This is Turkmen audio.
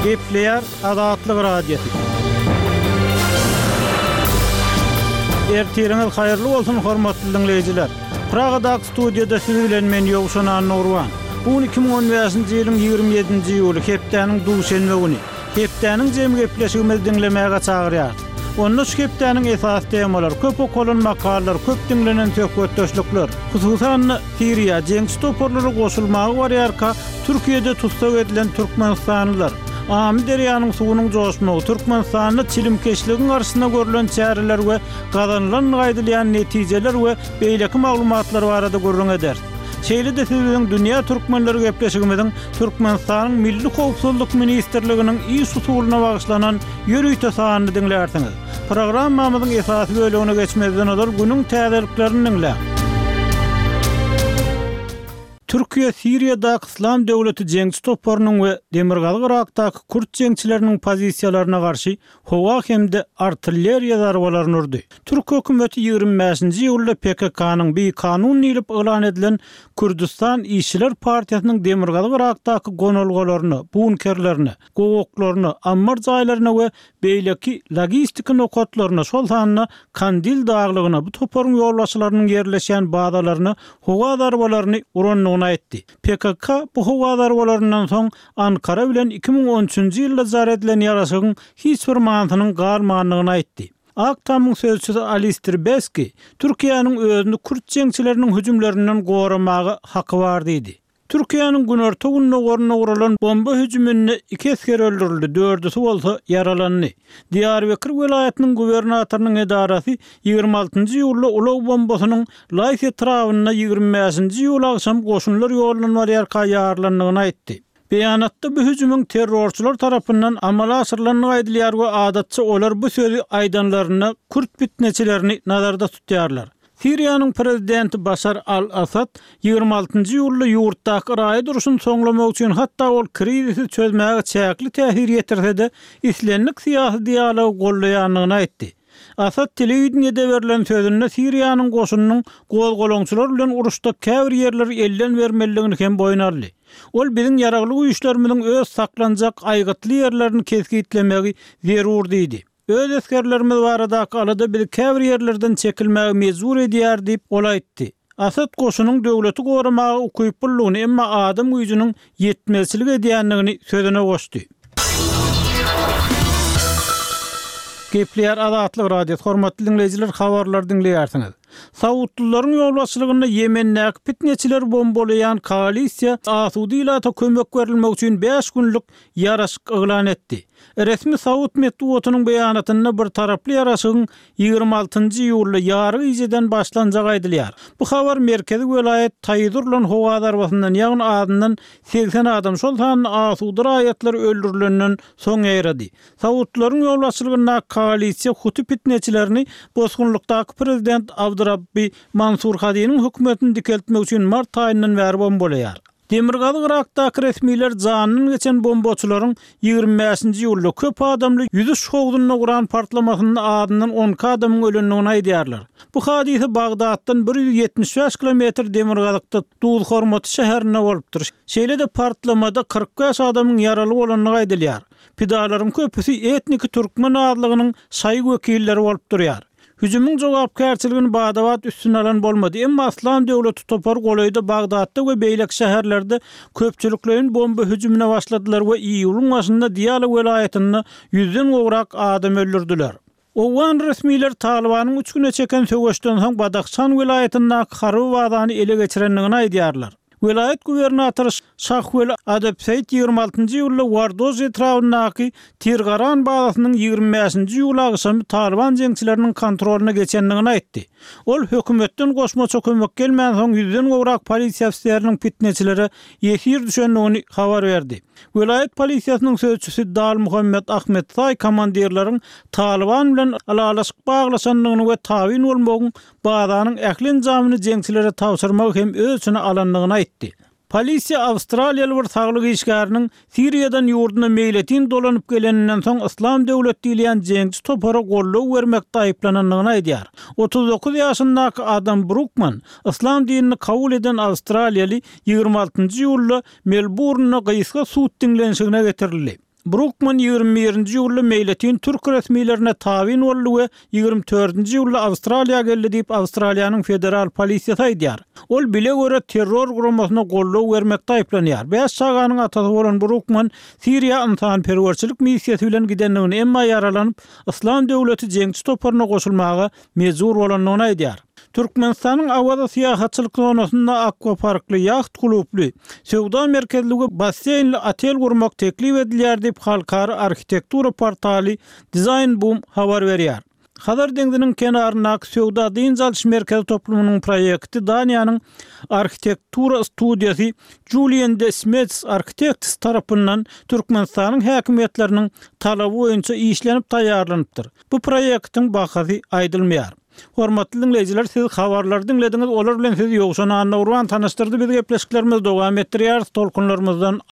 Gepleýär Azatlyk Radiosy. Ertiriňiz haýyrly bolsun, hormatly diňleýjiler! Pragadaky studiýada siz bilen men Ýowşan Annagurban. Bu gün 2015-nji ýylyň 27-nji iýuly, hepdäniň duşenbe güni. Hepdäniň jemi gepleşigimizi diňlemäge çagyrýarys. Onda şu hepdäniň esasy temalary, köp okalan makalalar, köp diňlenen söhbetdeşlikler, hususan-da, Siriýa jeňçi toparlara goşulmaga barýarka, Türkiýede tussag edilen türkmenistanlylar, Amyderýanyň suwunyň joşmagy, Türkmenistanda çilimkeşligiň garşysyna görlen çäreler we gazanylandygy aýdylýan netijeler we beýleki maglumatlar barada gürrüň ederis. Şeýle-de siz biziň Dünýä Türkmenleri gepleşigimiziň Türkmenistanyň Milli howpsuzlyk ministrliginiň iş usulyna bagyşlanan ýörite sanyny diňlärsiňiz. Programmamyzyň esasy bölegine geçmezden ozal günüň täzeliklerini diňläň. Türkiýe Siriýadaky Yslam döwleti jeňçi toparynyň we Demirgazyk Yrakdaky kürt jeňçileriniň pozisiýalaryna garşy howa hem-de artilleriýa zarbalaryny urdy. Türk hökümeti 25-nji iýulda PKK-nyň bikanun diýlip yglan edilen Kürdüstan işçiler partiýasynyň Demirgazyk Yrakdaky gonalgalaryna, bunkerlerine, gowaklaryna, ammar jaýlaryna we beýleki logistiki nokatlaryna, şol sanda Kandil daglygyna bu toparyň ýolbaşçylarynyň ýerleşýän bazalaryna howa zarbalaryny urandygyny aýtdy. PKK bu howa zarbalaryndan soň Ankara bilen 2013-nji ýylda jar edilen ýaraşygyň hiç bir manysynyň galmandygyny aýtdy. Ak Tamyň sözçüsi Alister Beski Türkiýäniň özüni kürt jeňçileriniň hüjümlerinden goramaga haky bar diýdi. Türkiýäniň günorta-gündogarynda guralan bomba hüjüminde iki esger öldürildi, dördüsi bolsa ýaralandy. Diýarbekir welaýatynyň gubernatorynyň edarasy 26 njy iýulda ulag bombasynyň Laýs etrabynda 25 nji iýul agşam goşunlar ýoldan barýarka ýarylandygyny aýtdy. Beýanatda bu hüjümiň terrorçylar tarapyndan amala aşyrylandygy aýdylýar we adatça olar bu sözi aýdanlarynda kürt pitneçilerini nazarda tutýarlar. Siriýanyň prezidenti Başar al-Assad 26 nji iýulda ýurtdaky raýat urşuny soňlamak üçin hatda ol krizisi çözmäge çäkli täsir ýetirse-de, islendik syýasy dialogy goldaýandygyny aýtdy. Assad telewideniýede berlen sözünde Siriýanyň goşunynyň gozgalaňçylar bilen uruşda käbir ýerleri elden bermelidigini hem boýun aldy. Ol biziň ýaragly güýçlerimiziň öz saklanjak aýgytly ýerlerini kesgitlemegi zerur diýdi. Öz esgerlerimiz baradaky alada bizi käbir ýerlerden çekilmäge mejbur edýär diýip, ol aýtdy. Asad goşunyň döwleti goramaga ukyplydygyny, emma adam güýjüniň ýetmezçilik edýändigini sözüne goşdy. Gepleýär Azatlyk Radiosy, hormatly diňleýjiler, habarlary diňleýärsiňiz. Saudlylaryň ýolbaşçylygynda Ýemendäki pitneçileri bombalaýan koalisiýa asuda ilata kömek berilmegi üçin bäş günlük ýaraşyk yglan etdi. Resmi saud metbugatynyň beýanatynda bir taraply ýaraşygyň 26 njy iýulda ýary gijeden başlanjagy aýdylýar. Bu habar merkezi welaýat Taýyz urlan howa zarbasyndan, ýagny azyndan 80 adam, şol sanda asuda raýatlar öldürilenden soň ýaýrady. Saudlaryň ýolbaşçylygyndaky koalisiýa huti pitneçilerini bosgunlykdaky prezident Abdurabbi Mansur Hadiniň hökümetini dikeltmek üçin mart aýyndan bäri bombalaýar. Demirgazyk Yrakdaky resmiler janyndan geçen bombaçylaryň 25-nji iýulda köp adamly ýüzüş howzunda guran partlamasynda azyndan 12 adamyň ölendigini aýdýarlar. Bu hadysa Bagdatdan 175 kilometr demirgazykda Duzhormaty şäherinde bolupdyr. Şeýle-de partlamada 45 adamyň ýaraly bolandygy aýdylýar. Pidalaryň köpüsi etniki türkmen azlygynyň şaýy wekilleri bolup durýar. Hüjümiň jogapkärçiligini bada-bat üstüne alan bolmady, emma Yslam döwleti topary golaýda Bagdatda we beýleki şäherlerde köpçülikleýin bomba hüjümine başladylar we iýulyň başynda Diýala welaýatynda ýüzden gowrak adam öldürdiler. Owgan resmileri Talybanyň üç güne çeken söweşden soň Badahşan welaýatyndaky harby bazany ele geçirendigini aýdýarlar. Welaýat gubernatory Şahweli Adebseýit 26 nji iýulda Wardoz etrabyndaky Tirgaran bazasynyň 25 nji iýul agşamy Talyban jeňçileriniň kontrolyna geçendigini aýtdy. Ol hökümetden goşmaça kömek gelmänsoň ýüzden gowrak polisiýa ofiseriniň pitneçilere ýesir düşendigini habar berdi. Welaýat polisiýasynyň sözçüsi Dal Muhammet Ahmetsaý komandirleriň Talyban bilen ylalaşyk baglaşandygyny we tabyn bolmagyň bazanyň ähli enjamyny jeňçilere tabşyrmagy hem öz içine alandygyny aýtdy. Polisiýa awstraliýaly bir saglyk işgäriniň Siriýadan ýurduna meýletin dolanyp geleninden soň Yslam döwlet diýilýän jeňçi topara goldaw bermekde aýyplanandygyny aýdýar. 39 ýaşyndaky Adam Brukman, yslam dinini kabul eden awstraliýaly 26 njy iýulda Melburnda gysga sud diňlenişigine getirildi. Brukman 21-nji iýulda meýletin türk resmilerine tabyn boldy we 24-nji iýulda Awstraliýa geldi diýip, Awstraliýanyň federal polisiýasy aýdýar. Ol bile-göre terror guramasyna goldaw bermekde aýyplanýar. Bäş çaganyň atasy bolan Brukman Siriýa ynsanperwerçilik missiýasy bilen gidendigini, emma ýaralanyp, Yslam döwleti jeňçi toparyna goşulmaga mejbur bolandygyny aýdýar. Türkmenistanyň Awaza syýahatçylyk zonasynda akwaparkly, ýaht klubly, söwda merkezli we basseýnli otel gurmak teklip edilýär diýip, halkara arhitektura portaly Designboom habar berýär. Hazar deňziniň kenaryndaky söwda-dynç alyş merkezi toplumynyň proýekti Daniýanyň arhitektura studiýasy Julien de Smets Architects tarapyndan Türkmenistanyň häkimiýetleriniň talaby boýunça işlenip taýýarlanypdyr. Bu proýektiň bahasy aýdylmaýar. Hormatly diňleýjiler siz habarlary diňlediňiz olar bilen sizi Ýowşan Annagurban tanyşdyrdy biz gepleşiklerimizi dowam etdirýäris tolkunlarymyzdan.